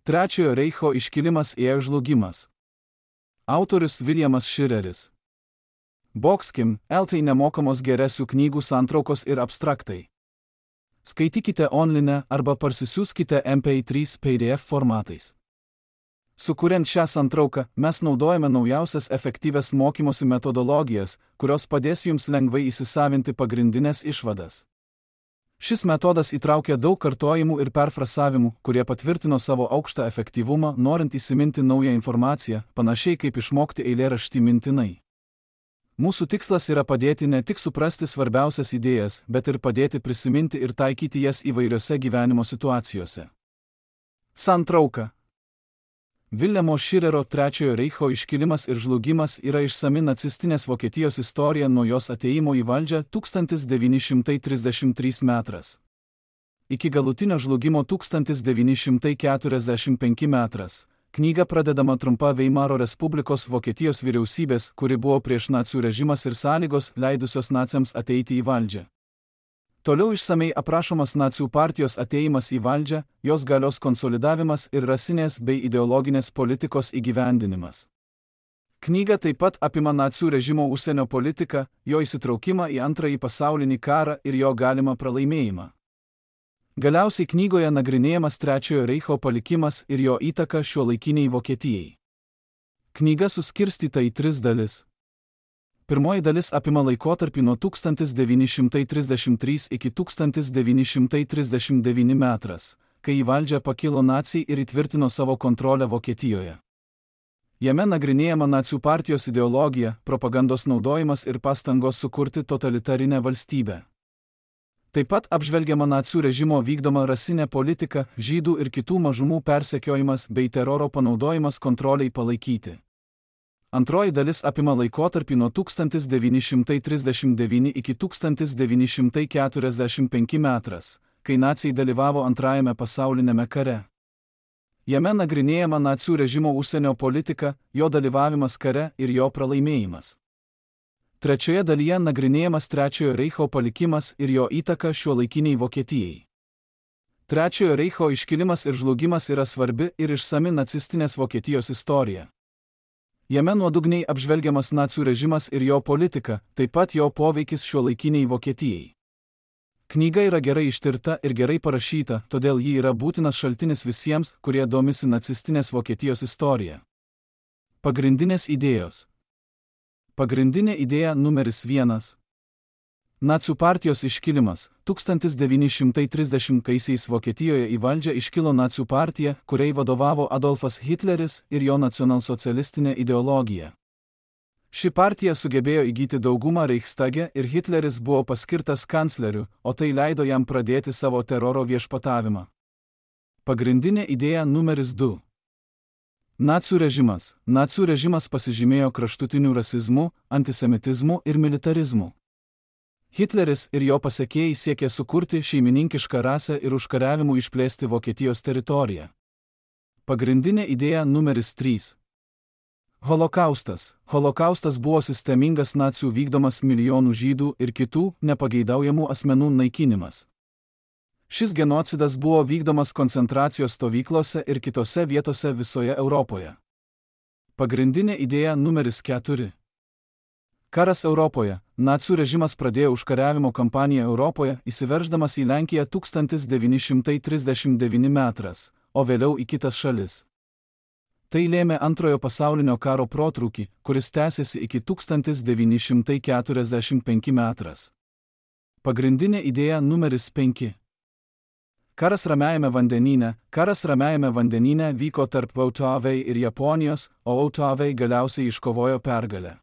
Trečiojo reicho iškilimas ir žlugimas. Autorius Williamas Šireris. Boxkim, LT nemokamos geresių knygų santraukos ir abstraktai. Skaitykite online arba parsisiųskite MP3 PDF formatais. Sukuriant šią santrauką, mes naudojame naujausias efektyvias mokymosi metodologijas, kurios padės jums lengvai įsisavinti pagrindinės išvadas. Šis metodas įtraukia daug kartojimų ir perfrasavimų, kurie patvirtino savo aukštą efektyvumą, norint įsiminti naują informaciją, panašiai kaip išmokti eilėraštį mintinai. Mūsų tikslas yra padėti ne tik suprasti svarbiausias idėjas, bet ir padėti prisiminti ir taikyti jas įvairiose gyvenimo situacijose. Santrauka. Viljamo Širero Trečiojo reicho iškilimas ir žlugimas yra išsami nacistinės Vokietijos istorija nuo jos atėjimo į valdžią 1933 metras. Iki galutinio žlugimo 1945 metras. Knyga pradedama trumpa Veimaro Respublikos Vokietijos vyriausybės, kuri buvo prieš nacių režimas ir sąlygos, leidusios naciams ateiti į valdžią. Toliau išsamei aprašomas nacių partijos atėjimas į valdžią, jos galios konsolidavimas ir rasinės bei ideologinės politikos įgyvendinimas. Knyga taip pat apima nacių režimo užsienio politiką, jo įsitraukimą į Antrąjį pasaulinį karą ir jo galimą pralaimėjimą. Galiausiai knygoje nagrinėjamas Trečiojo reicho palikimas ir jo įtaka šiuolaikiniai Vokietijai. Knyga suskirstyta į 3 dalis. Pirmoji dalis apima laikotarpį nuo 1933 iki 1939 metras, kai į valdžią pakilo naciai ir įtvirtino savo kontrolę Vokietijoje. Jame nagrinėjama nacių partijos ideologija, propagandos naudojimas ir pastangos sukurti totalitarinę valstybę. Taip pat apžvelgiama nacių režimo vykdoma rasinė politika, žydų ir kitų mažumų persekiojimas bei teroro panaudojimas kontroliai palaikyti. Antroji dalis apima laikotarpį nuo 1939 iki 1945 metras, kai naciai dalyvavo Antrajame pasaulinėme kare. Jame nagrinėjama nacių režimo užsienio politika, jo dalyvavimas kare ir jo pralaimėjimas. Trečioje dalyje nagrinėjamas Trečiojo reicho palikimas ir jo įtaka šiuolaikiniai Vokietijai. Trečiojo reicho iškilimas ir žlugimas yra svarbi ir išsami nacistinės Vokietijos istorija. Jame nuodugniai apžvelgiamas nacių režimas ir jo politika, taip pat jo poveikis šiuolaikiniai Vokietijai. Knyga yra gerai ištirta ir gerai parašyta, todėl ji yra būtinas šaltinis visiems, kurie domisi nacistinės Vokietijos istorija. Pagrindinės idėjos. Pagrindinė idėja numeris 1. Nacių partijos iškilimas. 1930-aisiais Vokietijoje į valdžią iškilo nacių partija, kuriai vadovavo Adolfas Hitleris ir jo nacionalsocialistinė ideologija. Ši partija sugebėjo įgyti daugumą Reichstage ir Hitleris buvo paskirtas kancleriu, o tai leido jam pradėti savo teroro viešpatavimą. Pagrindinė idėja numeris 2. Nacių režimas. Nacių režimas pasižymėjo kraštutiniu rasizmu, antisemitizmu ir militarizmu. Hitleris ir jo pasekėjai siekė sukurti šeimininkišką rasę ir užkariavimu išplėsti Vokietijos teritoriją. Pagrindinė idėja numeris 3. Holokaustas. Holokaustas buvo sistemingas nacių vykdomas milijonų žydų ir kitų nepageidaujamų asmenų naikinimas. Šis genocidas buvo vykdomas koncentracijos stovyklose ir kitose vietose visoje Europoje. Pagrindinė idėja numeris 4. Karas Europoje. Nacių režimas pradėjo užkariavimo kampaniją Europoje, įsiverždamas į Lenkiją 1939 metras, o vėliau į kitas šalis. Tai lėmė Antrojo pasaulinio karo protrūkį, kuris tęsėsi iki 1945 metras. Pagrindinė idėja numeris 5. Karas Ramiajame vandenyne. Karas Ramiajame vandenyne vyko tarp VTV ir Japonijos, o VTV galiausiai iškovojo pergalę.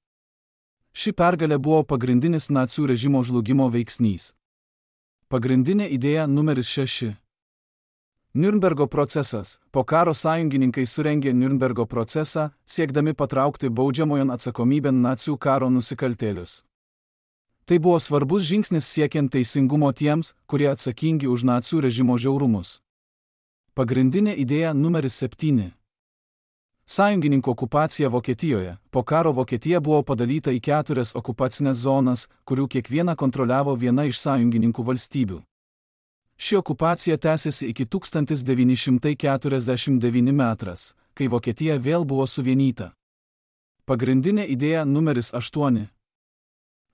Ši pergalė buvo pagrindinis nacių režimo žlugimo veiksnys. Pagrindinė idėja numeris 6. Niurnbergo procesas. Po karo sąjungininkai surengė Niurnbergo procesą, siekdami patraukti baudžiamojon atsakomybėn nacių karo nusikaltėlius. Tai buvo svarbus žingsnis siekiant teisingumo tiems, kurie atsakingi už nacių režimo žiaurumus. Pagrindinė idėja numeris 7. Sąjungininkų okupacija Vokietijoje. Po karo Vokietija buvo padalyta į 4 okupacinės zonas, kurių kiekvieną kontroliavo viena iš sąjungininkų valstybių. Ši okupacija tęsėsi iki 1949 metras, kai Vokietija vėl buvo suvienyta. Pagrindinė idėja numeris 8.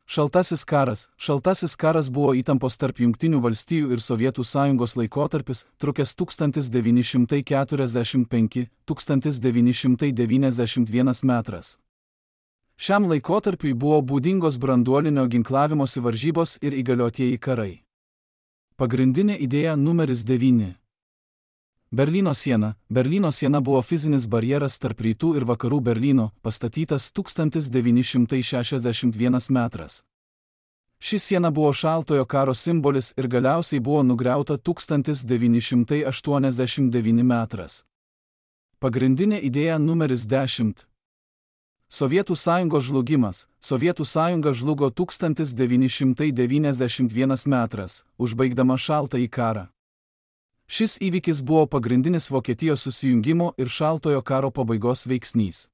Šaltasis karas. Šaltasis karas buvo įtampos tarp Jungtinių valstijų ir Sovietų sąjungos laikotarpis, trukęs 1945–1991 metras. Šiam laikotarpiui buvo būdingos branduolinio ginklavimosi varžybos ir įgaliotieji karai. Pagrindinė idėja numeris 9. Berlyno siena. Berlyno siena buvo fizinis barjeras tarp rytų ir vakarų Berlyno, pastatytas 1961 metras. Ši siena buvo šaltojo karo simbolis ir galiausiai buvo nugriauta 1989 metras. Pagrindinė idėja numeris 10. Sovietų sąjungos žlugimas. Sovietų sąjunga žlugo 1991 metras, užbaigdama šaltąjį karą. Šis įvykis buvo pagrindinis Vokietijos susijungimo ir šaltojo karo pabaigos veiksnys.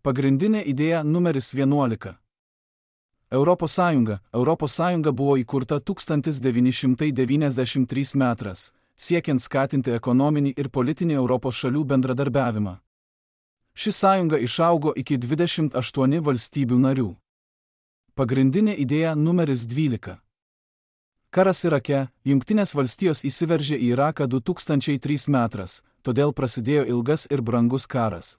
Pagrindinė idėja numeris 11. Europos Sąjunga. Europos Sąjunga buvo įkurta 1993 metras, siekiant skatinti ekonominį ir politinį Europos šalių bendradarbiavimą. Ši sąjunga išaugo iki 28 valstybių narių. Pagrindinė idėja numeris 12. Karas Irake. Jungtinės valstijos įsiveržė į Iraką 2003 metras, todėl prasidėjo ilgas ir brangus karas.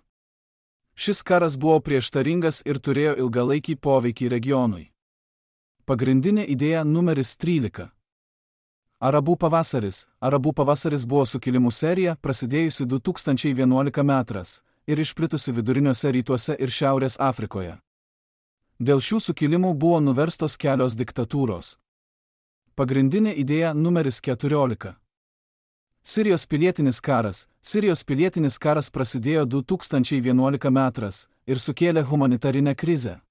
Šis karas buvo prieštaringas ir turėjo ilgalaikį poveikį regionui. Pagrindinė idėja numeris 13. Arabų pavasaris. Arabų pavasaris buvo sukilimų serija, prasidėjusi 2011 metras ir išplitusi viduriniuose rytuose ir Šiaurės Afrikoje. Dėl šių sukilimų buvo nuverstos kelios diktatūros. Pagrindinė idėja numeris 14. Sirijos pilietinis karas. Sirijos pilietinis karas prasidėjo 2011 metras ir sukėlė humanitarinę krizę.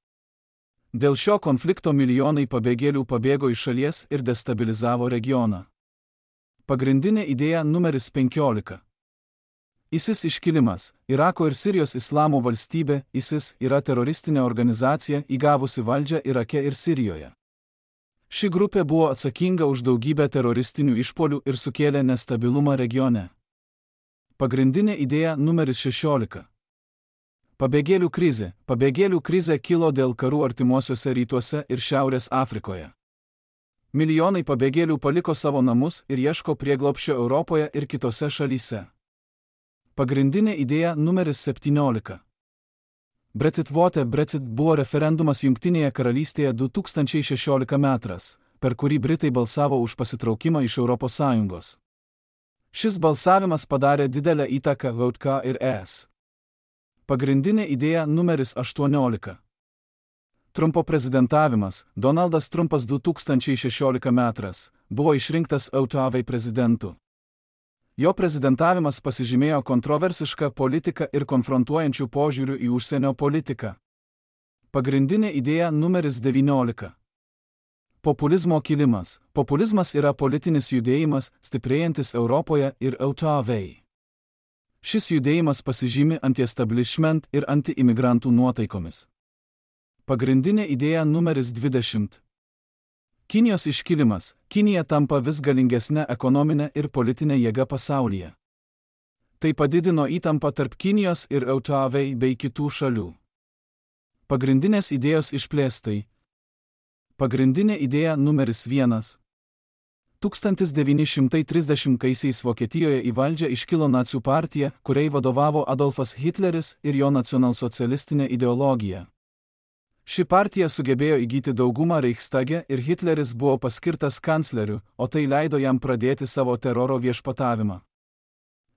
Dėl šio konflikto milijonai pabėgėlių pabėgo iš šalies ir destabilizavo regioną. Pagrindinė idėja numeris 15. ISIS iškilimas. Irako ir Sirijos islamo valstybė, ISIS, yra teroristinė organizacija įgavusi valdžią Irake ir Sirijoje. Ši grupė buvo atsakinga už daugybę teroristinių išpuolių ir sukėlė nestabilumą regione. Pagrindinė idėja numeris 16. Pabėgėlių krizė. Pabėgėlių krizė kilo dėl karų artimuosiuose rytuose ir Šiaurės Afrikoje. Milijonai pabėgėlių paliko savo namus ir ieško prieglobsčio Europoje ir kitose šalyse. Pagrindinė idėja numeris 17. Brexit vote. Brexit buvo referendumas Jungtinėje karalystėje 2016 metras, per kurį Britai balsavo už pasitraukimą iš Europos Sąjungos. Šis balsavimas padarė didelę įtaką VK ir ES. Pagrindinė idėja numeris 18. Trumpo prezidentavimas. Donaldas Trumpas 2016 metras buvo išrinktas JAV prezidentu. Jo prezidentavimas pasižymėjo kontroversišką politiką ir konfrontuojančių požiūrių į užsienio politiką. Pagrindinė idėja numeris 19. Populizmo kilimas. Populizmas yra politinis judėjimas, stiprėjantis Europoje ir JAV. Šis judėjimas pasižymi anti-establishment ir anti-imigrantų nuotaikomis. Pagrindinė idėja numeris 20. Kinijos iškilimas. Kinija tampa vis galingesnė ekonominė ir politinė jėga pasaulyje. Tai padidino įtampą tarp Kinijos ir JAV bei kitų šalių. Pagrindinės idėjos išplėstai. Pagrindinė idėja numeris 1. 1930-aisiais Vokietijoje į valdžią iškilo nacių partija, kuriai vadovavo Adolfas Hitleris ir jo nacionalsocialistinė ideologija. Ši partija sugebėjo įgyti daugumą Reichstage ir Hitleris buvo paskirtas kancleriu, o tai leido jam pradėti savo teroro viešpatavimą.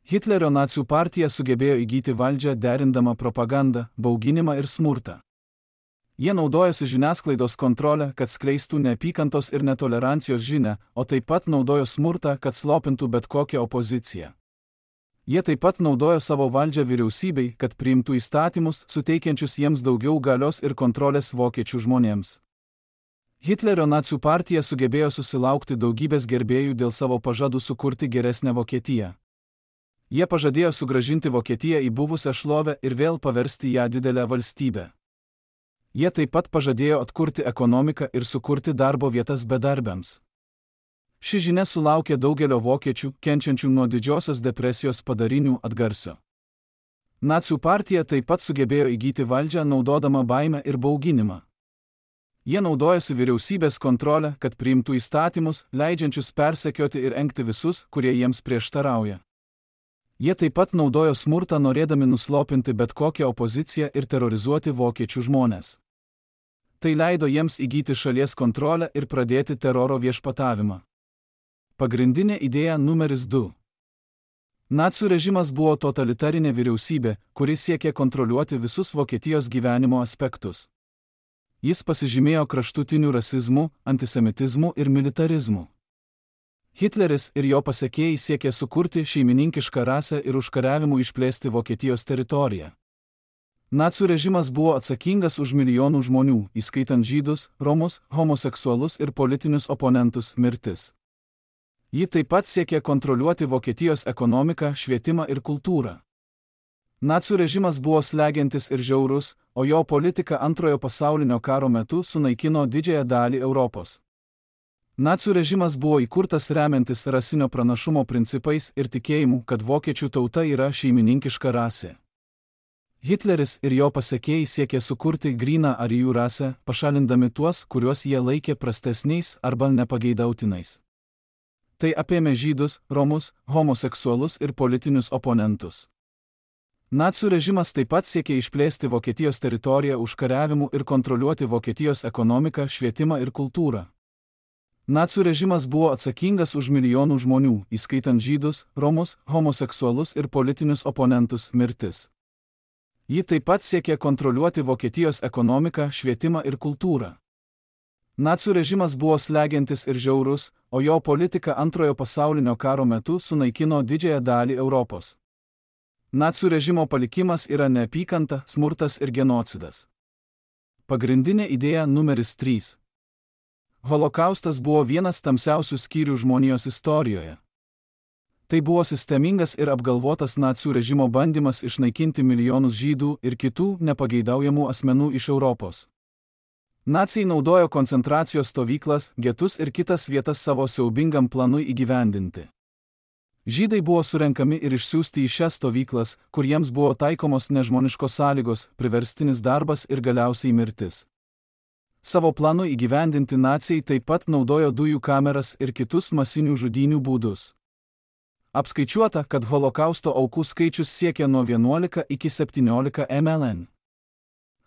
Hitlerio nacių partija sugebėjo įgyti valdžią derindama propagandą, bauginimą ir smurtą. Jie naudojosi žiniasklaidos kontrolę, kad skleistų neapykantos ir netolerancijos žinią, o taip pat naudojo smurtą, kad slopintų bet kokią opoziciją. Jie taip pat naudojo savo valdžią vyriausybei, kad priimtų įstatymus, suteikiančius jiems daugiau galios ir kontrolės vokiečių žmonėms. Hitlerio nacių partija sugebėjo susilaukti daugybės gerbėjų dėl savo pažadų sukurti geresnę Vokietiją. Jie pažadėjo sugrąžinti Vokietiją į buvusią šlovę ir vėl paversti ją didelę valstybę. Jie taip pat pažadėjo atkurti ekonomiką ir sukurti darbo vietas bedarbiams. Ši žinia sulaukė daugelio vokiečių, kenčiančių nuo didžiosios depresijos padarinių atgarsio. Nacių partija taip pat sugebėjo įgyti valdžią naudodama baimę ir bauginimą. Jie naudojasi vyriausybės kontrolę, kad priimtų įstatymus, leidžiančius persekioti ir engti visus, kurie jiems prieštarauja. Jie taip pat naudojo smurtą norėdami nuslopinti bet kokią opoziciją ir terorizuoti vokiečių žmones. Tai leido jiems įgyti šalies kontrolę ir pradėti teroro viešpatavimą. Pagrindinė idėja numeris 2. Nacių režimas buvo totalitarinė vyriausybė, kuri siekė kontroliuoti visus Vokietijos gyvenimo aspektus. Jis pasižymėjo kraštutiniu rasizmu, antisemitizmu ir militarizmu. Hitleris ir jo pasekėjai siekė sukurti šeimininkišką rasę ir užkariavimu išplėsti Vokietijos teritoriją. Nacių režimas buvo atsakingas už milijonų žmonių, įskaitant žydus, romus, homoseksualus ir politinius oponentus, mirtis. Ji taip pat siekė kontroliuoti Vokietijos ekonomiką, švietimą ir kultūrą. Nacių režimas buvo slegiantis ir žiaurus, o jo politika Antrojo pasaulinio karo metu sunaikino didžiąją dalį Europos. Nacių režimas buvo įkurtas remiantis rasinio pranašumo principais ir tikėjimu, kad vokiečių tauta yra šeimininkiška rasė. Hitleris ir jo pasekėjai siekė sukurti gryną arijų rasę, pašalindami tuos, kuriuos jie laikė prastesniais arba nepageidautinais. Tai apėmė žydus, romus, homoseksualus ir politinius oponentus. Nacių režimas taip pat siekė išplėsti Vokietijos teritoriją užkariavimu ir kontroliuoti Vokietijos ekonomiką, švietimą ir kultūrą. Nacių režimas buvo atsakingas už milijonų žmonių, įskaitant žydus, romus, homoseksualus ir politinius oponentus, mirtis. Ji taip pat siekė kontroliuoti Vokietijos ekonomiką, švietimą ir kultūrą. Nacių režimas buvo slegiantis ir žiaurus, o jo politika Antrojo pasaulinio karo metu sunaikino didžiąją dalį Europos. Nacių režimo palikimas yra neapykanta, smurtas ir genocidas. Pagrindinė idėja numeris 3. Holokaustas buvo vienas tamsiausių skyrių žmonijos istorijoje. Tai buvo sistemingas ir apgalvotas nacių režimo bandymas išnaikinti milijonus žydų ir kitų nepageidaujamų asmenų iš Europos. Naciai naudojo koncentracijos stovyklas, getus ir kitas vietas savo siaubingam planui įgyvendinti. Žydai buvo surenkami ir išsiųsti į šias stovyklas, kur jiems buvo taikomos nežmoniškos sąlygos, priverstinis darbas ir galiausiai mirtis. Savo planu įgyvendinti naciai taip pat naudojo dujų kameras ir kitus masinių žudynių būdus. Apskaičiuota, kad holokausto aukų skaičius siekia nuo 11 iki 17 mln.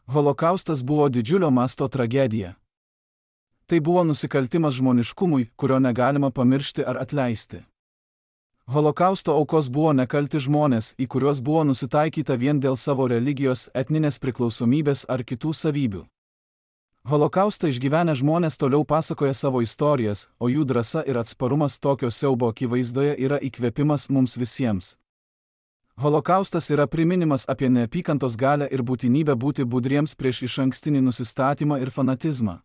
Holokaustas buvo didžiulio masto tragedija. Tai buvo nusikaltimas žmoniškumui, kurio negalima pamiršti ar atleisti. Holokausto aukos buvo nekalti žmonės, į kuriuos buvo nusitaikyta vien dėl savo religijos, etninės priklausomybės ar kitų savybių. Holokaustą išgyvenę žmonės toliau pasakoja savo istorijas, o jų drąsa ir atsparumas tokio siaubo akivaizdoje yra įkvėpimas mums visiems. Holokaustas yra priminimas apie neapykantos galią ir būtinybę būti budriems prieš išankstinį nusistatymą ir fanatizmą.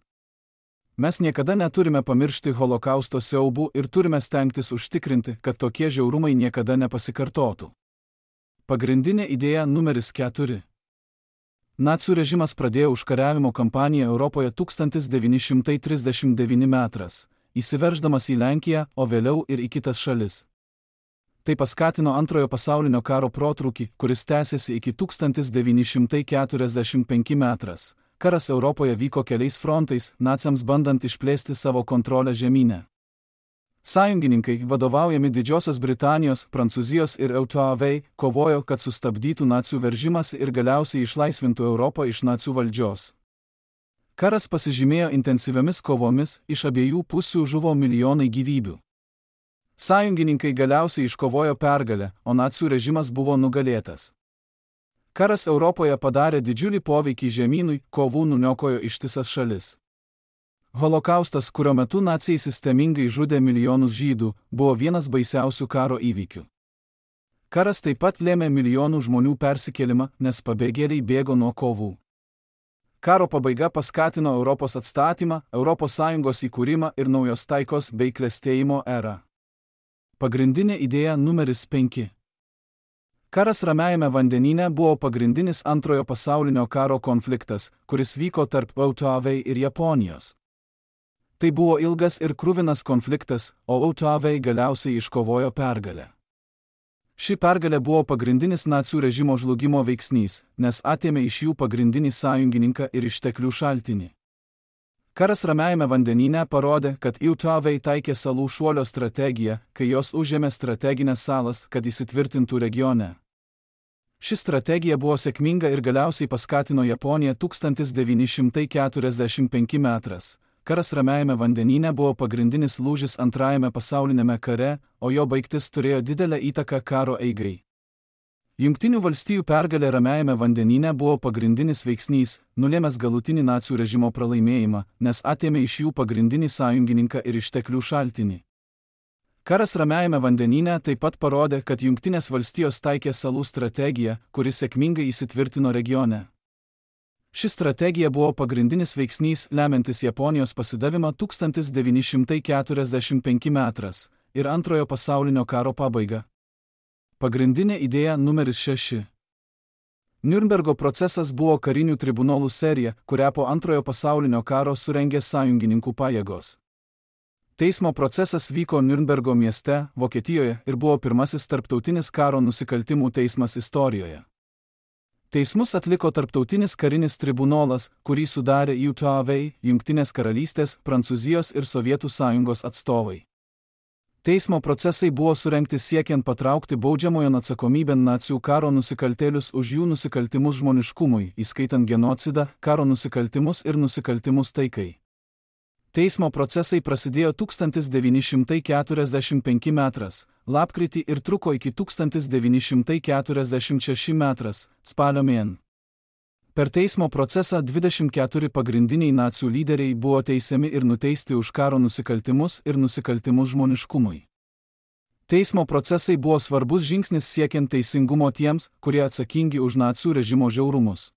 Mes niekada neturime pamiršti holokausto siaubų ir turime stengtis užtikrinti, kad tokie žiaurumai niekada nepasikartotų. Pagrindinė idėja numeris 4. Nacių režimas pradėjo užkariavimo kampaniją Europoje 1939 metais, įsiverždamas į Lenkiją, o vėliau ir į kitas šalis. Tai paskatino Antrojo pasaulinio karo protrūkį, kuris tęsėsi iki 1945 metais. Karas Europoje vyko keliais frontais, naciams bandant išplėsti savo kontrolę žemyne. Sąjungininkai, vadovaujami Didžiosios Britanijos, Prancūzijos ir EUTAV, kovojo, kad sustabdytų nacių veržimąsi ir galiausiai išlaisvintų Europą iš nacių valdžios. Karas pasižymėjo intensyviomis kovomis, iš abiejų pusių žuvo milijonai gyvybių. Sąjungininkai galiausiai iškovojo pergalę, o nacių režimas buvo nugalėtas. Karas Europoje padarė didžiulį poveikį žemynui, kovų nuniokojo ištisas šalis. Holokaustas, kurio metu naciai sistemingai žudė milijonus žydų, buvo vienas baisiausių karo įvykių. Karas taip pat lėmė milijonų žmonių persikėlimą, nes pabėgėliai bėgo nuo kovų. Karo pabaiga paskatino Europos atstatymą, ES įkūrimą ir naujos taikos bei klestėjimo erą. Pagrindinė idėja numeris 5. Karas Ramiajame vandenyne buvo pagrindinis Antrojo pasaulinio karo konfliktas, kuris vyko tarp EUTAV ir Japonijos. Tai buvo ilgas ir kruvinas konfliktas, o Autoavei galiausiai iškovojo pergalę. Ši pergalė buvo pagrindinis nacių režimo žlugimo veiksnys, nes atėmė iš jų pagrindinį sąjungininką ir išteklių šaltinį. Karas Ramiajame vandenyne parodė, kad Autoavei taikė salų šuolio strategiją, kai jos užėmė strateginės salas, kad įsitvirtintų regione. Ši strategija buvo sėkminga ir galiausiai paskatino Japoniją 1945 metras. Karas Ramiajame vandenyne buvo pagrindinis lūžis Antrajame pasaulinėme kare, o jo baigtis turėjo didelę įtaką karo eigai. Jungtinių valstijų pergalė Ramiajame vandenyne buvo pagrindinis veiksnys, nulėmęs galutinį nacių režimo pralaimėjimą, nes atėmė iš jų pagrindinį sąjungininką ir išteklių šaltinį. Karas Ramiajame vandenyne taip pat parodė, kad Jungtinės valstijos taikė salų strategiją, kuri sėkmingai įsitvirtino regione. Ši strategija buvo pagrindinis veiksnys lemiantis Japonijos pasidavimą 1945 metras ir Antrojo pasaulinio karo pabaigą. Pagrindinė idėja numeris 6. Niurnbergo procesas buvo karinių tribunolų serija, kurią po Antrojo pasaulinio karo surengė sąjungininkų pajėgos. Teismo procesas vyko Niurnbergo mieste, Vokietijoje ir buvo pirmasis tarptautinis karo nusikaltimų teismas istorijoje. Teismus atliko tarptautinis karinis tribunolas, kurį sudarė Autoavei, Jungtinės karalystės, Prancūzijos ir Sovietų sąjungos atstovai. Teismo procesai buvo surengti siekiant patraukti baudžiamojon atsakomybėn nacių karo nusikaltėlius už jų nusikaltimus žmoniškumui, įskaitant genocidą, karo nusikaltimus ir nusikaltimus taikai. Teismo procesai prasidėjo 1945 metras, lapkritį ir truko iki 1946 metras, spalio mėn. Per teismo procesą 24 pagrindiniai nacių lyderiai buvo teisiami ir nuteisti už karo nusikaltimus ir nusikaltimus žmoniškumui. Teismo procesai buvo svarbus žingsnis siekiant teisingumo tiems, kurie atsakingi už nacių režimo žiaurumus.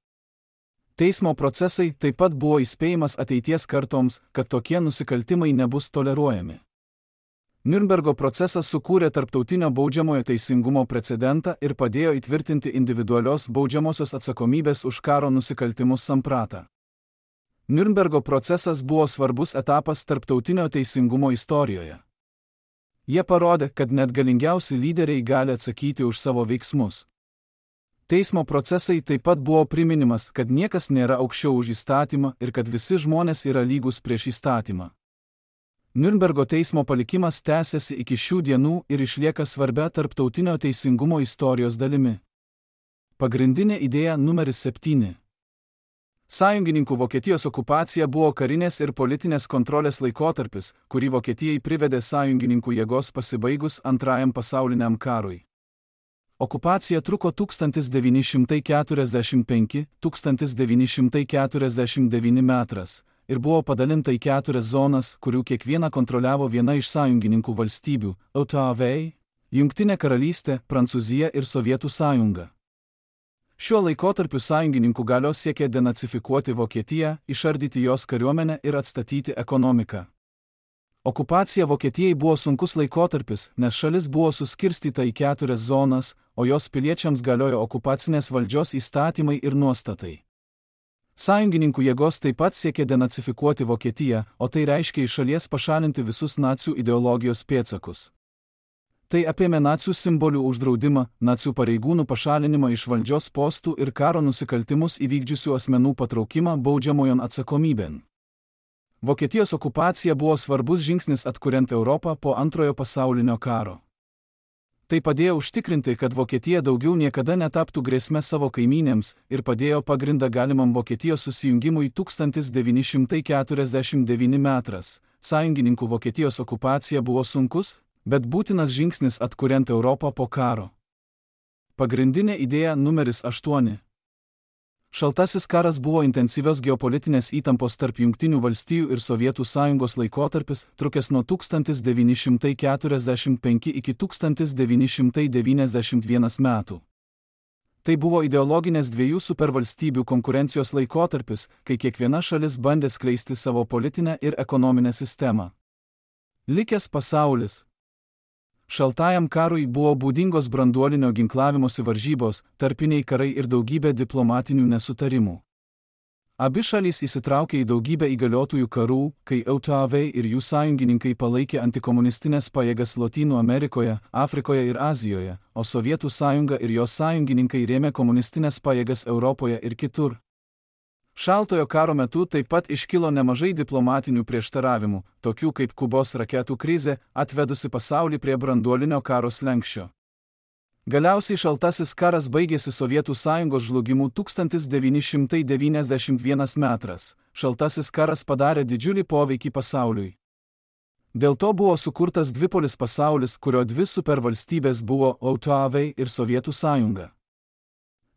Teismo procesai taip pat buvo įspėjimas ateities kartoms, kad tokie nusikaltimai nebus toleruojami. Niurnbergo procesas sukūrė tarptautinio baudžiamojo teisingumo precedentą ir padėjo įtvirtinti individualios baudžiamosios atsakomybės už karo nusikaltimus sampratą. Niurnbergo procesas buvo svarbus etapas tarptautinio teisingumo istorijoje. Jie parodė, kad net galingiausi lyderiai gali atsakyti už savo veiksmus. Teismo procesai taip pat buvo priminimas, kad niekas nėra aukščiau už įstatymą ir kad visi žmonės yra lygus prieš įstatymą. Niurnbergo teismo palikimas tęsiasi iki šių dienų ir išlieka svarbia tarptautinio teisingumo istorijos dalimi. Pagrindinė idėja numeris 7. Sąjungininkų Vokietijos okupacija buvo karinės ir politinės kontrolės laikotarpis, kurį Vokietijai privedė sąjungininkų jėgos pasibaigus Antrajam pasauliniam karui. Okupacija truko 1945–1949 metras ir buvo padalinta į 4 zonas, kurių kiekvieną kontroliavo viena iš sąjungininkų valstybių – Autoavei, Jungtinė karalystė, Prancūzija ir Sovietų sąjunga. Šiuo laikotarpiu sąjungininkų galios siekė denacifikuoti Vokietiją, išardyti jos kariuomenę ir atstatyti ekonomiką. Okupacija Vokietijai buvo sunkus laikotarpis, nes šalis buvo suskirstyta į 4 zonas, o jos piliečiams galiojo okupacinės valdžios įstatymai ir nuostatai. Sąjungininkų jėgos taip pat siekė denacifikuoti Vokietiją, o tai reiškia iš šalies pašalinti visus nacių ideologijos pėdsakus. Tai apėmė nacių simbolių uždraudimą, nacių pareigūnų pašalinimą iš valdžios postų ir karo nusikaltimus įvykdžiusių asmenų patraukimą baudžiamojon atsakomybėn. Vokietijos okupacija buvo svarbus žingsnis atkuriant Europą po Antrojo pasaulinio karo. Tai padėjo užtikrinti, kad Vokietija daugiau niekada netaptų grėsme savo kaimynėms ir padėjo pagrindą galimam Vokietijos susijungimui 1949 metras. Sąjungininkų Vokietijos okupacija buvo sunkus, bet būtinas žingsnis atkuriant Europą po karo. Pagrindinė idėja numeris 8. Šaltasis karas buvo intensyvios geopolitinės įtampos tarp Jungtinių valstijų ir Sovietų sąjungos laikotarpis, trukęs nuo 1945 iki 1991 metų. Tai buvo ideologinės dviejų supervalstybių konkurencijos laikotarpis, kai kiekviena šalis bandė skleisti savo politinę ir ekonominę sistemą. Likęs pasaulis. Šaltajam karui buvo būdingos branduolinio ginklavimosi varžybos, tarpiniai karai ir daugybė diplomatinių nesutarimų. Abi šalys įsitraukė į daugybę įgaliotojų karų, kai EUTAV ir jų sąjungininkai palaikė antikomunistinės pajėgas Lotynų Amerikoje, Afrikoje ir Azijoje, o Sovietų sąjunga ir jos sąjungininkai rėmė komunistinės pajėgas Europoje ir kitur. Šaltojo karo metu taip pat iškilo nemažai diplomatinių prieštaravimų, tokių kaip Kubos raketų krizė, atvedusi pasaulį prie branduolinio karo slenksčio. Galiausiai šaltasis karas baigėsi Sovietų sąjungos žlugimu 1991 metras. Šaltasis karas padarė didžiulį poveikį pasauliui. Dėl to buvo sukurtas dvipolis pasaulis, kurio dvi supervalstybės buvo EUTAV ir Sovietų sąjunga.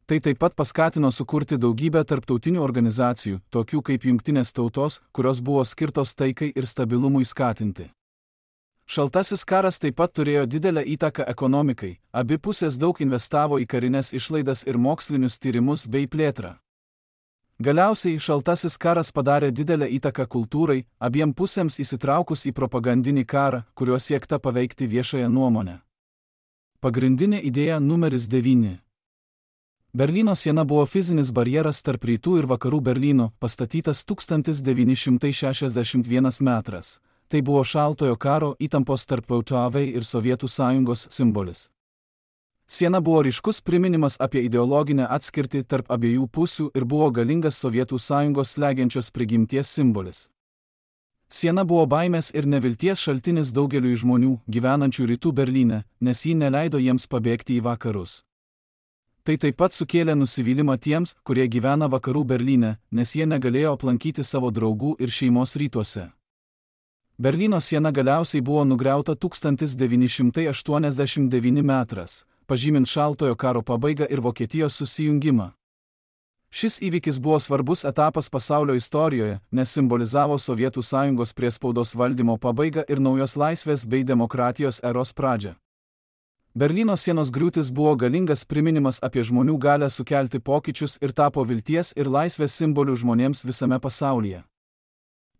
Tai taip pat paskatino sukurti daugybę tarptautinių organizacijų, tokių kaip Jungtinės tautos, kurios buvo skirtos taikai ir stabilumui skatinti. Šaltasis karas taip pat turėjo didelę įtaką ekonomikai, abi pusės daug investavo į karinės išlaidas ir mokslinius tyrimus bei plėtrą. Galiausiai šaltasis karas padarė didelę įtaką kultūrai, abiem pusėms įsitraukus į propagandinį karą, kuriuo siekta paveikti viešąją nuomonę. Pagrindinė idėja numeris 9. Berlyno siena buvo fizinis barjeras tarp rytų ir vakarų Berlyno, pastatytas 1961 metras. Tai buvo šaltojo karo įtampos tarp EUTAV ir Sovietų sąjungos simbolis. Siena buvo ryškus priminimas apie ideologinę atskirtį tarp abiejų pusių ir buvo galingas Sovietų sąjungos slegiančios prigimties simbolis. Siena buvo baimės ir nevilties šaltinis daugeliui žmonių, gyvenančių rytų Berlyne, nes ji neleido jiems pabėgti į vakarus. Tai taip pat sukėlė nusivylimą tiems, kurie gyvena vakarų Berlyne, nes jie negalėjo aplankyti savo draugų ir šeimos rytuose. Berlyno siena galiausiai buvo nugriauta 1989 metras, pažymint šaltojo karo pabaigą ir Vokietijos susijungimą. Šis įvykis buvo svarbus etapas pasaulio istorijoje, nes simbolizavo Sovietų sąjungos priespaudos valdymo pabaigą ir naujos laisvės bei demokratijos eros pradžią. Berlyno sienos griūtis buvo galingas priminimas apie žmonių galią sukelti pokyčius ir tapo vilties ir laisvės simboliu žmonėms visame pasaulyje.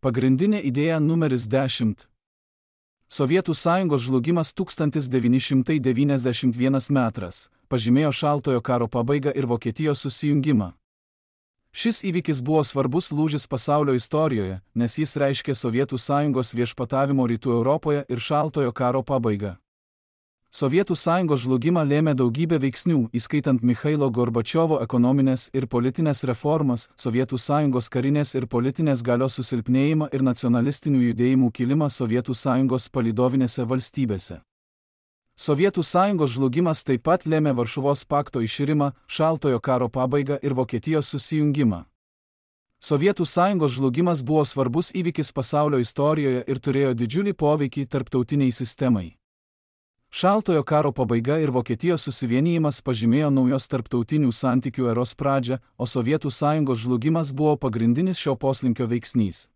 Pagrindinė idėja numeris 10. Sovietų sąjungos žlugimas 1991 metras pažymėjo šaltojo karo pabaigą ir Vokietijos susijungimą. Šis įvykis buvo svarbus lūžis pasaulio istorijoje, nes jis reiškė Sovietų sąjungos viešpatavimo rytų Europoje ir šaltojo karo pabaigą. Sovietų sąjungos žlugimą lėmė daugybė veiksnių, įskaitant Michailo Gorbačiovo ekonominės ir politinės reformas, Sovietų sąjungos karinės ir politinės galios susilpnėjimą ir nacionalistinių judėjimų kilimą Sovietų sąjungos palydovinėse valstybėse. Sovietų sąjungos žlugimas taip pat lėmė Varšuvos pakto iširimą, šaltojo karo pabaigą ir Vokietijos susijungimą. Sovietų sąjungos žlugimas buvo svarbus įvykis pasaulio istorijoje ir turėjo didžiulį poveikį tarptautiniai sistemai. Šaltojo karo pabaiga ir Vokietijos susivienijimas pažymėjo naujos tarptautinių santykių eros pradžią, o Sovietų sąjungos žlugimas buvo pagrindinis šio poslinkio veiksnys.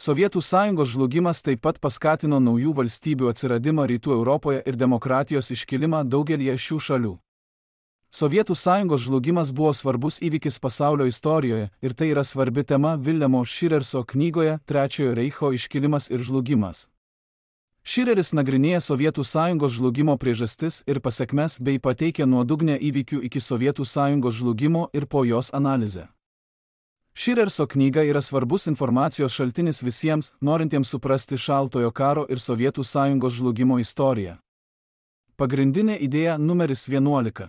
Sovietų sąjungos žlugimas taip pat paskatino naujų valstybių atsiradimą rytų Europoje ir demokratijos iškilimą daugelyje šių šalių. Sovietų sąjungos žlugimas buvo svarbus įvykis pasaulio istorijoje ir tai yra svarbi tema Viljamo Širerso knygoje Trečiojo reicho iškilimas ir žlugimas. Šireris nagrinėja Sovietų sąjungos žlugimo priežastis ir pasekmes bei pateikia nuodugnę įvykių iki Sovietų sąjungos žlugimo ir po jos analizę. Širerso knyga yra svarbus informacijos šaltinis visiems, norintiems suprasti šaltojo karo ir Sovietų sąjungos žlugimo istoriją. Pagrindinė idėja numeris 11.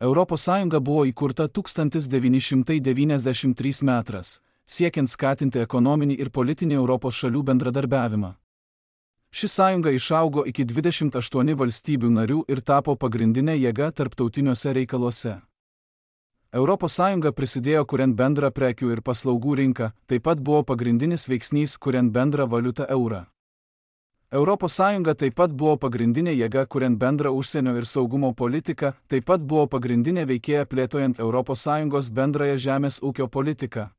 Europos Sąjunga buvo įkurta 1993 metras, siekiant skatinti ekonominį ir politinį Europos šalių bendradarbiavimą. Ši sąjunga išaugo iki 28 valstybių narių ir tapo pagrindinė jėga tarptautiniuose reikaluose. Europos Sąjunga prisidėjo kuriant bendrą prekių ir paslaugų rinką, taip pat buvo pagrindinis veiksnys kuriant bendrą valiutą eurą. Europos Sąjunga taip pat buvo pagrindinė jėga kuriant bendrą užsienio ir saugumo politiką, taip pat buvo pagrindinė veikėja plėtojant Europos Sąjungos bendrąją žemės ūkio politiką.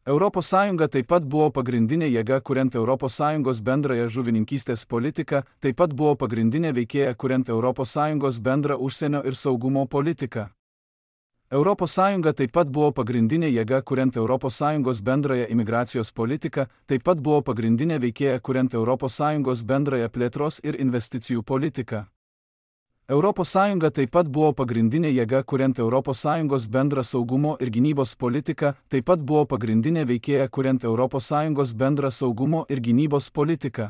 Europos Sąjunga taip pat buvo pagrindinė jėga kuriant Europos Sąjungos bendrąją žuvininkystės politiką, taip pat buvo pagrindinė veikėja kuriant Europos Sąjungos bendrą užsienio ir saugumo politiką. Europos Sąjunga taip pat buvo pagrindinė jėga kuriant Europos Sąjungos bendrąją imigracijos politiką, taip pat buvo pagrindinė veikėja kuriant Europos Sąjungos bendrąją plėtros ir investicijų politiką. ES taip pat buvo pagrindinė jėga kuriant ES bendrą saugumo ir gynybos politiką, taip pat buvo pagrindinė veikėja kuriant ES bendrą saugumo ir gynybos politiką.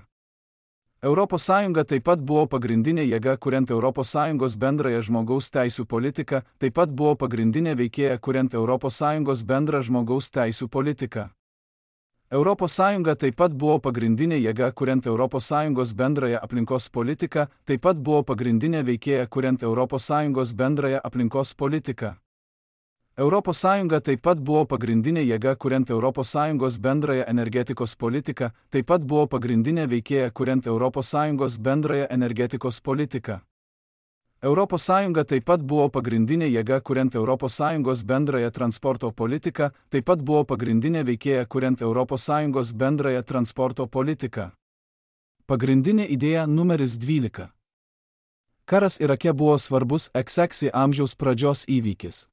ES taip pat buvo pagrindinė jėga kuriant ES bendrąją žmogaus teisių politiką, taip pat buvo pagrindinė veikėja kuriant ES bendrą žmogaus teisių politiką. ES taip pat buvo pagrindinė jėga kuriant ES bendrąją aplinkos politiką, taip pat buvo pagrindinė veikėja kuriant ES bendrąją aplinkos politiką. ES taip pat buvo pagrindinė jėga kuriant ES bendrąją energetikos politiką, taip pat buvo pagrindinė veikėja kuriant ES bendrąją energetikos politiką. ES taip pat buvo pagrindinė jėga kuriant ES bendrąją transporto politiką, taip pat buvo pagrindinė veikėja kuriant ES bendrąją transporto politiką. Pagrindinė idėja numeris 12. Karas Irake buvo svarbus XX amžiaus pradžios įvykis.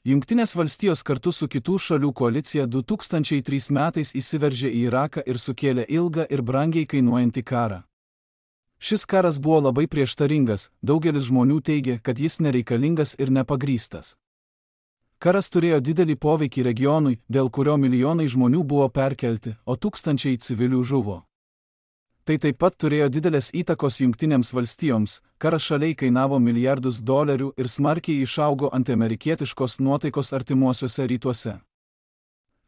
Jungtinės valstijos kartu su kitų šalių koalicija 2003 metais įsiveržė į Iraką ir sukėlė ilgą ir brangiai kainuojantį karą. Šis karas buvo labai prieštaringas, daugelis žmonių teigia, kad jis nereikalingas ir nepagrįstas. Karas turėjo didelį poveikį regionui, dėl kurio milijonai žmonių buvo perkelti, o tūkstančiai civilių žuvo. Tai taip pat turėjo didelės įtakos Jungtinėms valstijoms, karas šaliai kainavo milijardus dolerių ir smarkiai išaugo antiamerikietiškos nuotaikos artimuosiuose rytuose.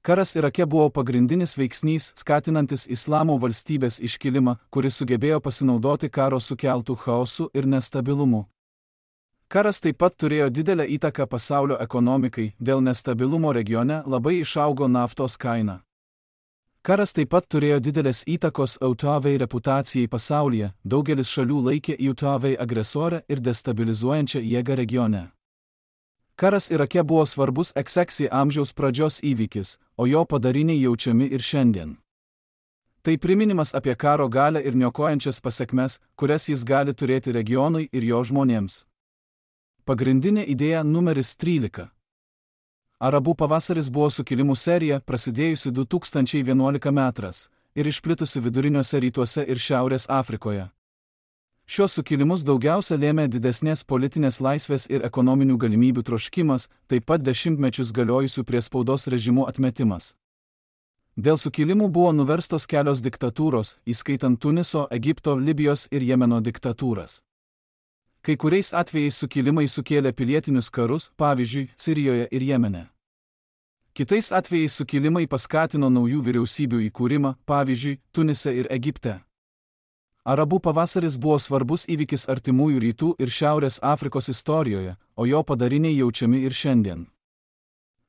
Karas Irake buvo pagrindinis veiksnys, skatinantis Islamo valstybės iškilimą, kuris sugebėjo pasinaudoti karo sukeltų chaosų ir nestabilumų. Karas taip pat turėjo didelę įtaką pasaulio ekonomikai, dėl nestabilumo regione labai išaugo naftos kaina. Karas taip pat turėjo didelės įtakos Autavai reputacijai pasaulyje, daugelis šalių laikė Autavai agresorę ir destabilizuojančią jėgą regione. Karas Irake buvo svarbus XX amžiaus pradžios įvykis, o jo padariniai jaučiami ir šiandien. Tai priminimas apie karo galią ir niokojančias pasekmes, kurias jis gali turėti regionui ir jo žmonėms. Pagrindinė idėja numeris 13. Arabų pavasaris buvo sukilimų serija, prasidėjusi 2011 metais ir išplitusi viduriniuose rytuose ir Šiaurės Afrikoje. Šios sukilimus daugiausia lėmė didesnės politinės laisvės ir ekonominių galimybių troškimas, taip pat dešimtmečius galiojusių priespaudos režimų atmetimas. Dėl sukilimų buvo nuverstos kelios diktatūros, įskaitant Tuniso, Egipto, Libijos ir Jemeno diktatūras. Kai kuriais atvejais sukilimai sukėlė pilietinius karus, pavyzdžiui, Sirijoje ir Jemene. Kitais atvejais sukilimai paskatino naujų vyriausybių įkūrimą, pavyzdžiui, Tunise ir Egipte. Arabų pavasaris buvo svarbus įvykis artimųjų rytų ir Šiaurės Afrikos istorijoje, o jo padariniai jaučiami ir šiandien.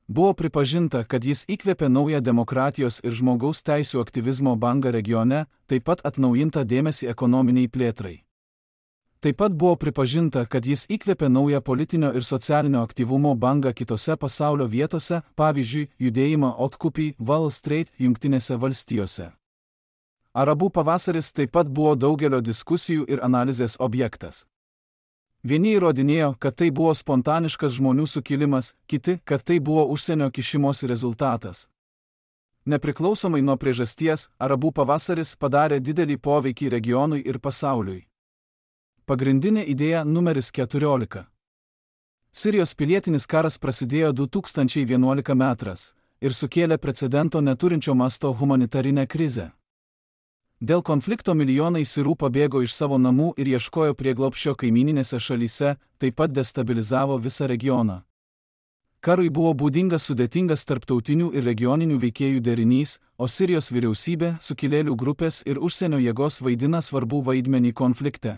Buvo pripažinta, kad jis įkvėpė naują demokratijos ir žmogaus teisių aktyvizmo bangą regione, taip pat atnaujintą dėmesį ekonominiai plėtrai. Taip pat buvo pripažinta, kad jis įkvėpė naują politinio ir socialinio aktyvumo bangą kitose pasaulio vietose, pavyzdžiui, judėjimą Occupy Wall Street Jungtinėse valstijose. Arabų pavasaris taip pat buvo daugelio diskusijų ir analizės objektas. Vieni įrodinėjo, kad tai buvo spontaniškas žmonių sukilimas, kiti, kad tai buvo užsienio kišimosi rezultatas. Nepriklausomai nuo priežasties, Arabų pavasaris padarė didelį poveikį regionui ir pasauliui. Pagrindinė idėja numeris 14. Sirijos pilietinis karas prasidėjo 2011 metais ir sukėlė precedento neturinčio masto humanitarinę krizę. Dėl konflikto milijonai sirų pabėgo iš savo namų ir ieškojo prieglobsčio kaimyninėse šalyse, taip pat destabilizavo visą regioną. Karui buvo būdingas sudėtingas tarptautinių ir regioninių veikėjų derinys, o Sirijos vyriausybė, sukilėlių grupės ir užsienio jėgos vaidina svarbų vaidmenį konflikte.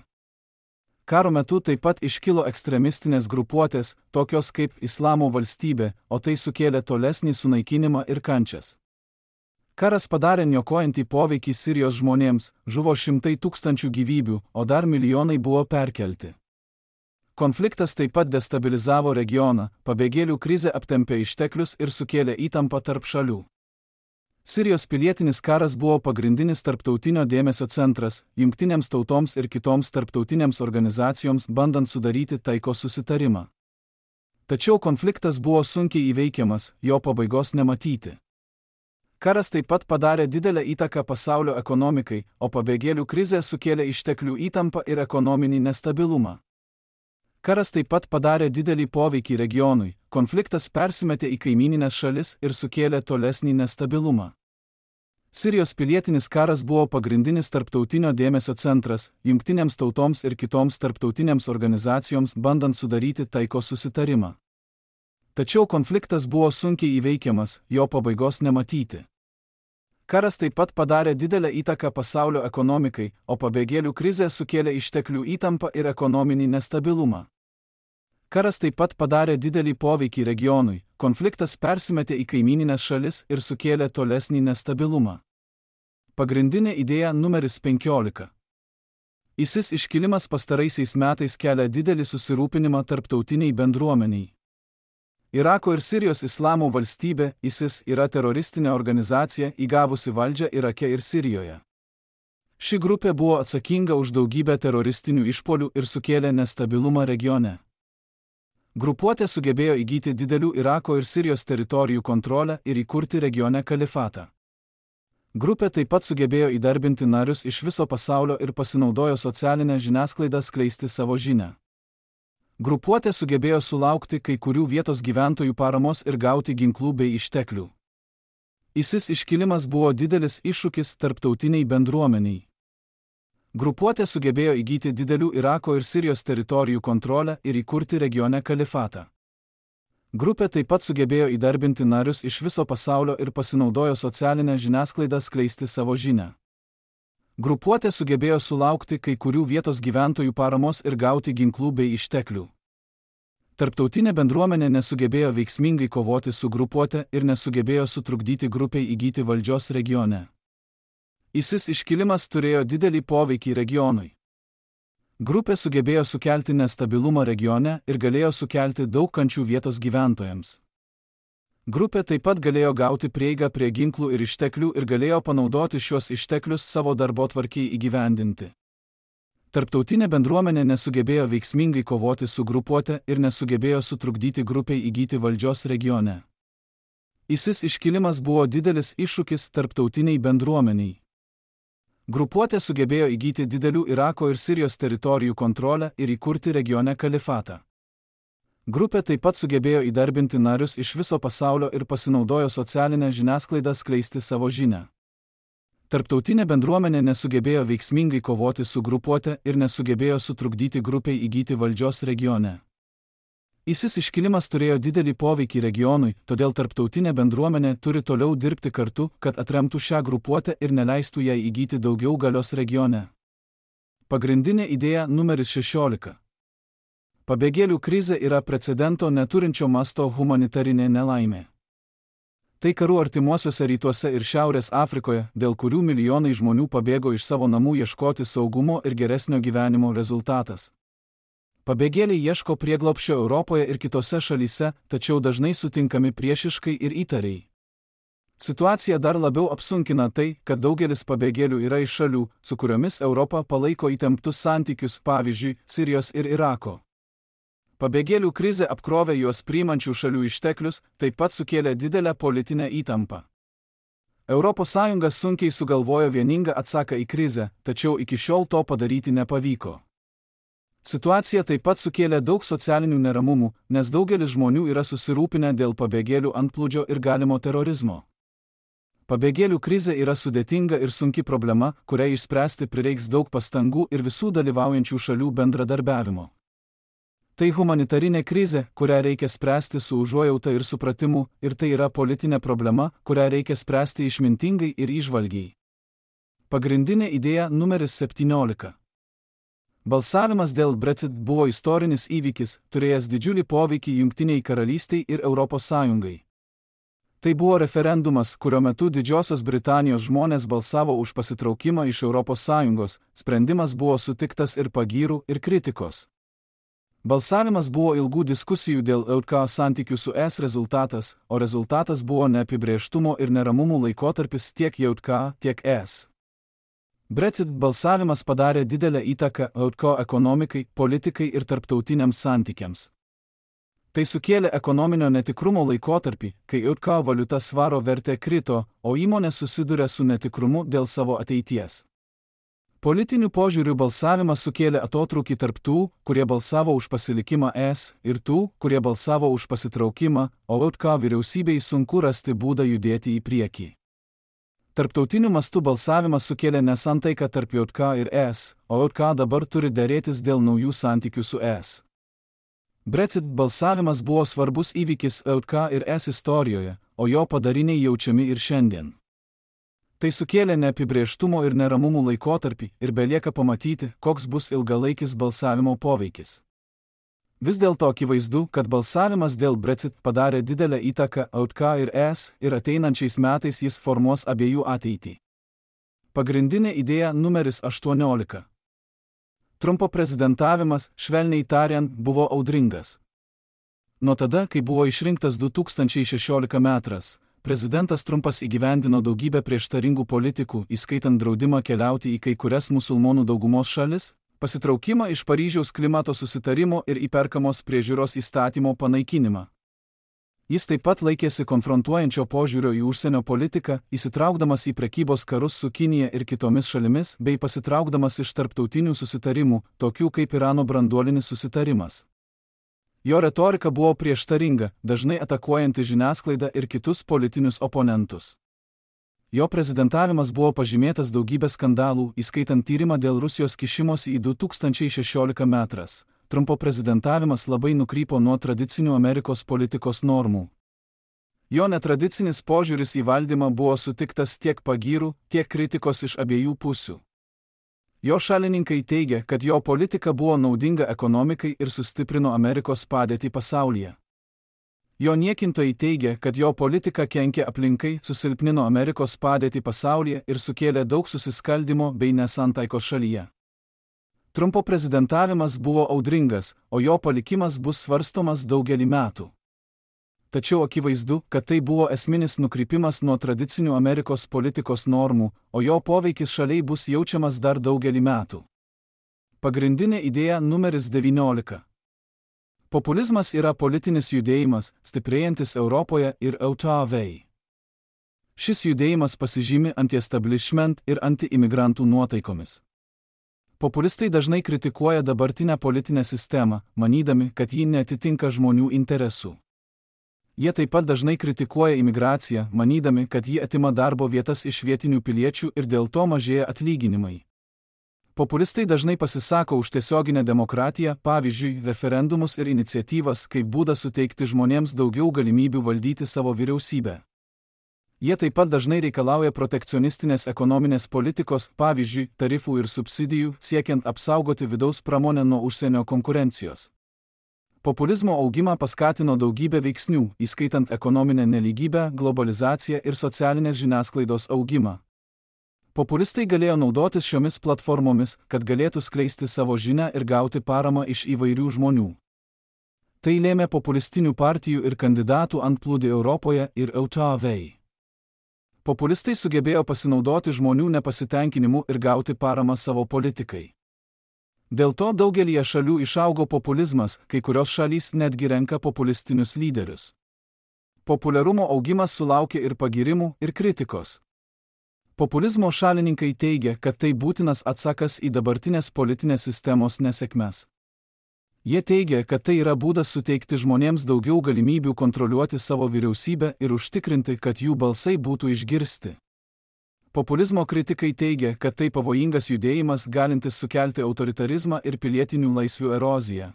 Karo metu taip pat iškilo ekstremistinės grupuotės, tokios kaip Islamo valstybė, o tai sukėlė tolesnį sunaikinimą ir kančias. Karas padarė niokojantį poveikį Sirijos žmonėms, žuvo šimtai tūkstančių gyvybių, o dar milijonai buvo perkelti. Konfliktas taip pat destabilizavo regioną, pabėgėlių krizė aptempė išteklius ir sukėlė įtampą tarp šalių. Sirijos pilietinis karas buvo pagrindinis tarptautinio dėmesio centras, jungtinėms tautoms ir kitoms tarptautinėms organizacijoms bandant sudaryti taikos susitarimą. Tačiau konfliktas buvo sunkiai įveikiamas, jo pabaigos nematyti. Karas taip pat padarė didelę įtaką pasaulio ekonomikai, o pabėgėlių krizė sukėlė išteklių įtampą ir ekonominį nestabilumą. Karas taip pat padarė didelį poveikį regionui, konfliktas persimetė į kaimynines šalis ir sukėlė tolesnį nestabilumą. Sirijos pilietinis karas buvo pagrindinis tarptautinio dėmesio centras, jungtinėms tautoms ir kitoms tarptautinėms organizacijoms bandant sudaryti taikos susitarimą. Tačiau konfliktas buvo sunkiai įveikiamas, jo pabaigos nematyti. Karas taip pat padarė didelę įtaką pasaulio ekonomikai, o pabėgėlių krizė sukėlė išteklių įtampą ir ekonominį nestabilumą. Karas taip pat padarė didelį poveikį regionui, konfliktas persimetė į kaimynines šalis ir sukėlė tolesnį nestabilumą. Pagrindinė idėja numeris 15. ISIS iškilimas pastaraisiais metais kelia didelį susirūpinimą tarptautiniai bendruomeniai. Irako ir Sirijos islamo valstybė, ISIS, yra teroristinė organizacija įgavusi valdžią Irake ir Sirijoje. Ši grupė buvo atsakinga už daugybę teroristinių išpuolių ir sukėlė nestabilumą regione. Grupuotė sugebėjo įgyti didelių Irako ir Sirijos teritorijų kontrolę ir įkurti regione kalifatą. Grupė taip pat sugebėjo įdarbinti narius iš viso pasaulio ir pasinaudojo socialinę žiniasklaidą skleisti savo žinią. Grupuotė sugebėjo sulaukti kai kurių vietos gyventojų paramos ir gauti ginklų bei išteklių. ISIS iškilimas buvo didelis iššūkis tarptautiniai bendruomeniai. Grupuotė sugebėjo įgyti didelių Irako ir Sirijos teritorijų kontrolę ir įkurti regione kalifatą. Grupė taip pat sugebėjo įdarbinti narius iš viso pasaulio ir pasinaudojo socialinę žiniasklaidą skleisti savo žinią. Grupuotė sugebėjo sulaukti kai kurių vietos gyventojų paramos ir gauti ginklų bei išteklių. Tarptautinė bendruomenė nesugebėjo veiksmingai kovoti su grupuotė ir nesugebėjo sutrukdyti grupiai įgyti valdžios regione. ISIS iškilimas turėjo didelį poveikį regionui. Grupė sugebėjo sukelti nestabilumą regione ir galėjo sukelti daug kančių vietos gyventojams. Grupė taip pat galėjo gauti prieigą prie ginklų ir išteklių ir galėjo panaudoti šiuos išteklius savo darbotvarkei įgyvendinti. Tarptautinė bendruomenė nesugebėjo veiksmingai kovoti su grupuotė ir nesugebėjo sutrukdyti grupiai įgyti valdžios regione. ISIS iškilimas buvo didelis iššūkis tarptautiniai bendruomeniai. Grupuotė sugebėjo įgyti didelių Irako ir Sirijos teritorijų kontrolę ir įkurti regione kalifatą. Grupė taip pat sugebėjo įdarbinti narius iš viso pasaulio ir pasinaudojo socialinę žiniasklaidą skleisti savo žinią. Tarptautinė bendruomenė nesugebėjo veiksmingai kovoti su grupuotė ir nesugebėjo sutrukdyti grupiai įgyti valdžios regione. ISIS iškilimas turėjo didelį poveikį regionui, todėl tarptautinė bendruomenė turi toliau dirbti kartu, kad atremtų šią grupuotę ir neleistų jai įgyti daugiau galios regione. Pagrindinė idėja numeris 16. Pabėgėlių krizė yra precedento neturinčio masto humanitarinė nelaimė. Tai karų artimuosiuose rytuose ir Šiaurės Afrikoje, dėl kurių milijonai žmonių pabėgo iš savo namų ieškoti saugumo ir geresnio gyvenimo rezultatas. Pabėgėliai ieško prieglobsčio Europoje ir kitose šalyse, tačiau dažnai sutinkami priešiškai ir įtariai. Situaciją dar labiau apsunkina tai, kad daugelis pabėgėlių yra iš šalių, su kuriomis Europa palaiko įtemptus santykius, pavyzdžiui, Sirijos ir Irako. Pabėgėlių krizė apkrovė juos priimančių šalių išteklius, taip pat sukėlė didelę politinę įtampą. ES sunkiai sugalvojo vieningą atsaką į krizę, tačiau iki šiol to padaryti nepavyko. Situacija taip pat sukėlė daug socialinių neramumų, nes daugelis žmonių yra susirūpinę dėl pabėgėlių antplūdžio ir galimo terorizmo. Pabėgėlių krizė yra sudėtinga ir sunki problema, kuriai išspręsti prireiks daug pastangų ir visų dalyvaujančių šalių bendradarbiavimo. Tai humanitarinė krizė, kurią reikia spręsti su užuojauta ir supratimu, ir tai yra politinė problema, kurią reikia spręsti išmintingai ir įžvalgiai. Pagrindinė idėja numeris 17. Balsavimas dėl Brexit buvo istorinis įvykis, turėjęs didžiulį poveikį Jungtinei Karalystiai ir ES. Tai buvo referendumas, kurio metu Didžiosios Britanijos žmonės balsavo už pasitraukimą iš ES, sprendimas buvo sutiktas ir pagyrų, ir kritikos. Balsavimas buvo ilgų diskusijų dėl EUK santykių su ES rezultatas, o rezultatas buvo neapibrėžtumo ir neramumų laikotarpis tiek EUK, tiek ES. Brexit balsavimas padarė didelę įtaką EUK ekonomikai, politikai ir tarptautiniams santykiams. Tai sukėlė ekonominio netikrumo laikotarpį, kai EUK valiuta svaro vertė krito, o įmonės susiduria su netikrumu dėl savo ateities. Politiniu požiūriu balsavimas sukėlė atotrūkį tarp tų, kurie balsavo už pasilikimą ES, ir tų, kurie balsavo už pasitraukimą, o LDK vyriausybei sunku rasti būdą judėti į priekį. Tarptautiniu mastu balsavimas sukėlė nesantaiką tarp LDK ir ES, o LDK dabar turi derėtis dėl naujų santykių su ES. Brexit balsavimas buvo svarbus įvykis LDK ir ES istorijoje, o jo padariniai jaučiami ir šiandien. Tai sukėlė neapibrėžtumo ir neramumų laikotarpį ir belieka pamatyti, koks bus ilgalaikis balsavimo poveikis. Vis dėlto akivaizdu, kad balsavimas dėl Brexit padarė didelę įtaką LDK ir ES ir ateinančiais metais jis formuos abiejų ateitį. Pagrindinė idėja numeris 18. Trumpo prezidentavimas, švelniai tariant, buvo audringas. Nuo tada, kai buvo išrinktas 2016 metais, prezidentas Trumpas įgyvendino daugybę prieštaringų politikų, įskaitant draudimą keliauti į kai kurias musulmonų daugumos šalis, pasitraukimą iš Paryžiaus klimato susitarimo ir įperkamos priežiūros įstatymo panaikinimą. Jis taip pat laikėsi konfrontuojančio požiūrio į užsienio politiką, įsitraukdamas į prekybos karus su Kinija ir kitomis šalimis, bei pasitraukdamas iš tarptautinių susitarimų, tokių kaip Irano branduolinis susitarimas. Jo retorika buvo prieštaringa, dažnai atakuojanti žiniasklaidą ir kitus politinius oponentus. Jo prezidentavimas buvo pažymėtas daugybė skandalų, įskaitant tyrimą dėl Rusijos kišimosi į 2016 metais. Trumpo prezidentavimas labai nukrypo nuo tradicinių Amerikos politikos normų. Jo netradicinis požiūris į valdymą buvo sutiktas tiek pagyrų, tiek kritikos iš abiejų pusių. Jo šalininkai teigia, kad jo politika buvo naudinga ekonomikai ir sustiprino Amerikos padėtį pasaulyje. Jo niekintojai teigia, kad jo politika kenkė aplinkai, susilpnino Amerikos padėtį pasaulyje ir sukėlė daug susiskaldimo bei nesantaikos šalyje. Trumpo prezidentavimas buvo audringas, o jo palikimas bus svarstomas daugelį metų. Tačiau akivaizdu, kad tai buvo esminis nukrypimas nuo tradicinių Amerikos politikos normų, o jo poveikis šaliai bus jaučiamas dar daugelį metų. Pagrindinė idėja numeris 19. Populizmas yra politinis judėjimas, stiprėjantis Europoje ir LDK. Šis judėjimas pasižymi anti-establishment ir anti-imigrantų nuotaikomis. Populistai dažnai kritikuoja dabartinę politinę sistemą, manydami, kad ji neatitinka žmonių interesų. Jie taip pat dažnai kritikuoja imigraciją, manydami, kad ji atima darbo vietas iš vietinių piliečių ir dėl to mažėja atlyginimai. Populistai dažnai pasisako už tiesioginę demokratiją, pavyzdžiui, referendumus ir iniciatyvas, kaip būdą suteikti žmonėms daugiau galimybių valdyti savo vyriausybę. Jie taip pat dažnai reikalauja protekcionistinės ekonominės politikos, pavyzdžiui, tarifų ir subsidijų, siekiant apsaugoti vidaus pramonę nuo užsienio konkurencijos. Populizmo augimą paskatino daugybė veiksnių, įskaitant ekonominę nelygybę, globalizaciją ir socialinės žiniasklaidos augimą. Populistai galėjo naudotis šiomis platformomis, kad galėtų skleisti savo žinią ir gauti paramą iš įvairių žmonių. Tai lėmė populistinių partijų ir kandidatų antplūdį Europoje ir LDK. Populistai sugebėjo pasinaudoti žmonių nepasitenkinimu ir gauti paramą savo politikai. Dėl to daugelyje šalių išaugo populizmas, kai kurios šalys netgi renka populistinius lyderius. Populiarumo augimas sulaukė ir pagyrimų, ir kritikos. Populizmo šalininkai teigia, kad tai būtinas atsakas į dabartinės politinės sistemos nesėkmes. Jie teigia, kad tai yra būdas suteikti žmonėms daugiau galimybių kontroliuoti savo vyriausybę ir užtikrinti, kad jų balsai būtų išgirsti. Populizmo kritikai teigia, kad tai pavojingas judėjimas galintis sukelti autoritarizmą ir pilietinių laisvių eroziją.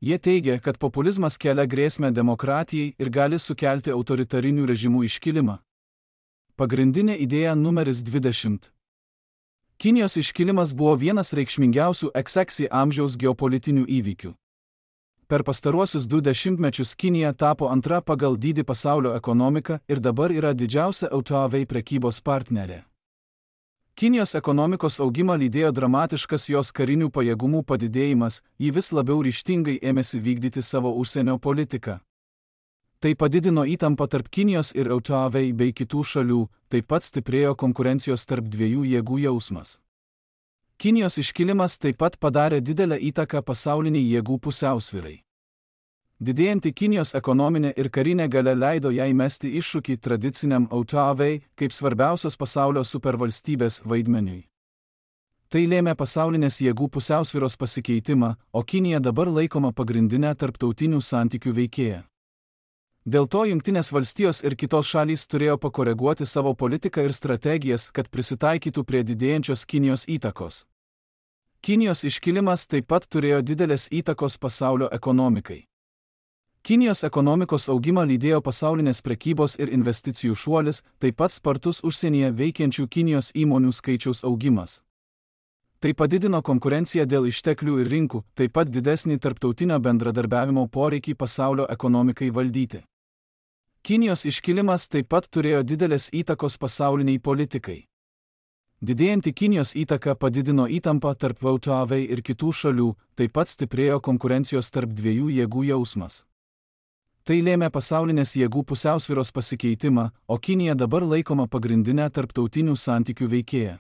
Jie teigia, kad populizmas kelia grėsmę demokratijai ir gali sukelti autoritarinių režimų iškilimą. Pagrindinė idėja numeris 20. Kinijos iškilimas buvo vienas reikšmingiausių XX amžiaus geopolitinių įvykių. Per pastaruosius 2 dešimtmečius Kinija tapo antra pagal dydį pasaulio ekonomika ir dabar yra didžiausia LDK prekybos partnerė. Kinijos ekonomikos augimą lydėjo dramatiškas jos karinių pajėgumų padidėjimas, ji vis labiau ryžtingai ėmėsi vykdyti savo užsienio politiką. Tai padidino įtampą tarp Kinijos ir LDK bei kitų šalių, taip pat stiprėjo konkurencijos tarp dviejų jėgų jausmas. Kinijos iškilimas taip pat padarė didelę įtaką pasauliniai jėgų pusiausvyrai. Didėjanti Kinijos ekonominė ir karinė galia leido jai mesti iššūkį tradiciniam LDK kaip svarbiausios pasaulio supervalstybės vaidmeniui. Tai lėmė pasaulinės jėgų pusiausvyros pasikeitimą, o Kinija dabar laikoma pagrindinė tarptautinių santykių veikėja. Dėl to Jungtinės valstijos ir kitos šalys turėjo pakoreguoti savo politiką ir strategijas, kad prisitaikytų prie didėjančios Kinijos įtakos. Kinijos iškilimas taip pat turėjo didelės įtakos pasaulio ekonomikai. Kinijos ekonomikos augimą lydėjo pasaulinės prekybos ir investicijų šuolis, taip pat spartus užsienyje veikiančių Kinijos įmonių skaičiaus augimas. Tai padidino konkurenciją dėl išteklių ir rinkų, taip pat didesnį tarptautinio bendradarbiavimo poreikį pasaulio ekonomikai valdyti. Kinijos iškilimas taip pat turėjo didelės įtakos pasauliniai politikai. Didėjanti Kinijos įtaka padidino įtampą tarp VTV ir kitų šalių, taip pat stiprėjo konkurencijos tarp dviejų jėgų jausmas. Tai lėmė pasaulinės jėgų pusiausvyros pasikeitimą, o Kinija dabar laikoma pagrindinė tarptautinių santykių veikėja.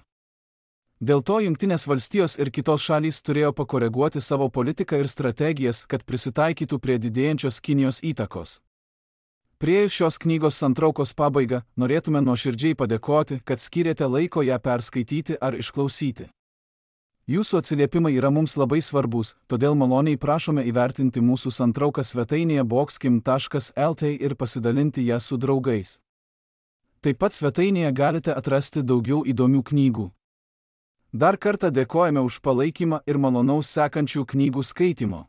Dėl to Jungtinės valstijos ir kitos šalys turėjo pakoreguoti savo politiką ir strategijas, kad prisitaikytų prie didėjančios Kinijos įtakos. Priėjus šios knygos santraukos pabaigą, norėtume nuoširdžiai padėkoti, kad skyrėte laiko ją perskaityti ar išklausyti. Jūsų atsiliepimai yra mums labai svarbus, todėl maloniai prašome įvertinti mūsų santrauką svetainėje boxkim.lt ir pasidalinti ją su draugais. Taip pat svetainėje galite atrasti daugiau įdomių knygų. Dar kartą dėkojame už palaikymą ir malonaus sekančių knygų skaitymo.